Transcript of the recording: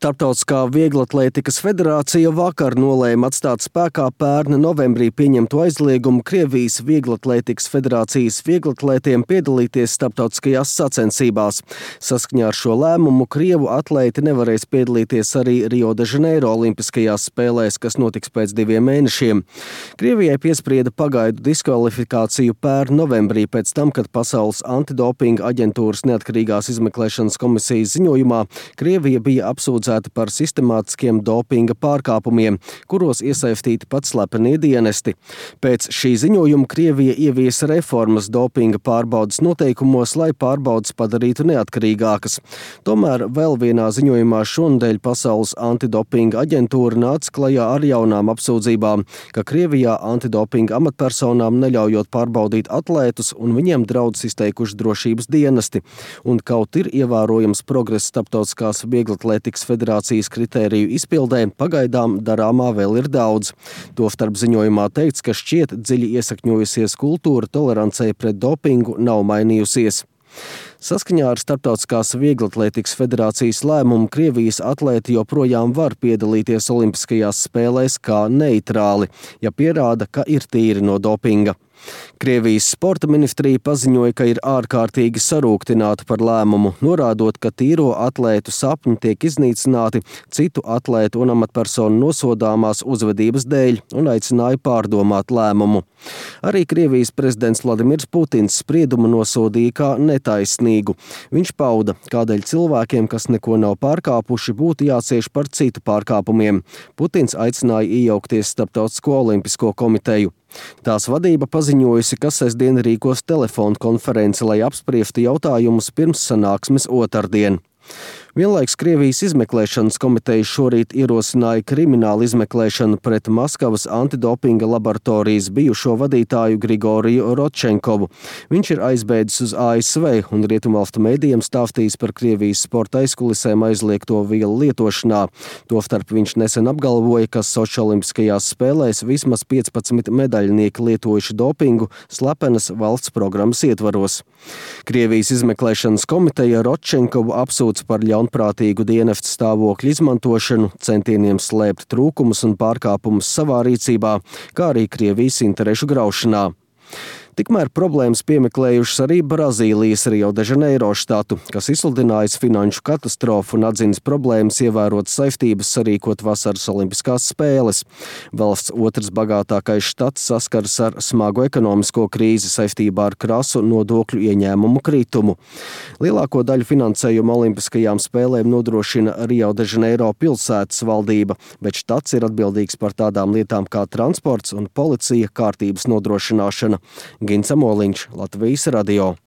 Starptautiskā vieglatlētikas federācija vakar nolēma atstāt spēkā pērna novembrī pieņemto aizliegumu Krievijas vieglatlētikas federācijas vieglatlētiem piedalīties starptautiskajās sacensībās. Saskaņā ar šo lēmumu krievu atlēti nevarēs piedalīties arī Rio de Janeiro olimpiskajās spēlēs, kas notiks pēc 2 mēnešiem. Krievijai piesprieda pagaidu diskvalifikāciju pērna novembrī pēc tam, kad Pasaules antidopinga aģentūras neatkarīgās izmeklēšanas komisijas ziņojumā Krievija bija apsūdzēta par sistemātiskiem dopinga pārkāpumiem, kuros iesaistīti pat slepenie dienesti. Pēc šī ziņojuma Krievija ieviesa reformas dopinga pārbaudas noteikumos, lai pārbaudas padarītu neatkarīgākas. Tomēr vēl vienā ziņojumā šonadēļ Pasaules antidopinga aģentūra nāca klajā ar jaunām apsūdzībām, ka Krievijā antidopinga amatpersonām neļaujot pārbaudīt atlētus un viņiem draudus izteikuši drošības dienesti. Un kaut ir ievērojams progress starptautiskās vieglatlētikas federācijas kritēriju izpildē, pagaidām darāmā vēl ir daudz. Tostarp ziņojumā teikts, ka šķiet dziļi iesakņojusies kultūra tolerancei pret dopingu nav mainījusies. Saskaņā ar Starptautiskās vieglatlētikas federācijas lēmumu Krievijas atlēti joprojām var piedalīties olimpiskajās spēlēs kā neitrāli, ja pierāda, ka ir tīri no dopinga. Krievijas sporta ministrija paziņoja, ka ir ārkārtīgi sarūktināta par lēmumu, norādot, ka tīro atlētu sapņi tiek iznīcināti citu atlētu un amatpersonu nosodāmās uzvedības dēļ un aicināja pārdomāt lēmumu. Arī Krievijas prezidents Vladimirs Putins spriedumu nosodīja kā netaisnīgu. Viņš pauda, kādēļ cilvēkiem, kas neko nav pārkāpuši, būtu jācieš par citu pārkāpumiem. Putins aicināja iejaukties Starptautisko olimpisko komiteju. Tās vadība paziņojusi, ka sestdien rīkos telefonu konferenci, lai apspriestu jautājumus pirms sanāksmes otrdien. Vienlaiks Krievijas izmeklēšanas komiteja šorīt ierosināja kriminālu izmeklēšanu pret Maskavas antidopinga laboratorijas bijušo vadītāju Grigoriju Rodčenkovu. Viņš ir aizbēdzis uz ASV un rietumvalstu mēdījiem stāstījis par Krievijas sporta aizkulisēm aizliegto vielu lietošanā. Tostarp viņš nesen apgalvoja, ka Soči olimpiskajās spēlēs vismaz 15 medaļnieki lietojuši dopingu slepenas valsts programmas ietvaros. Krievijas izmeklēšanas komiteja Rodčenkovu apsūdz par ļaunprātīgu dienesta stāvokļa izmantošanu, centieniem slēpt trūkumus un pārkāpumus savā rīcībā, kā arī Krievijas interešu graušanā. Tikmēr problēmas piemeklējušas arī Brazīlijas Rio de Janeiro štatu, kas izsludinājis finanšu katastrofu un atzinis problēmas ievērot saistības sarīkot vasaras olimpiskās spēles. Valsts otrs bagātākais štats saskaras ar smagu ekonomisko krīzi saistībā ar krasu nodokļu ieņēmumu kritumu. Lielāko daļu finansējumu olimpiskajām spēlēm nodrošina Rio de Janeiro pilsētas valdība, bet štats ir atbildīgs par tādām lietām kā transports un policija kārtības nodrošināšana. Gins Amoliņš, Latvijas radio.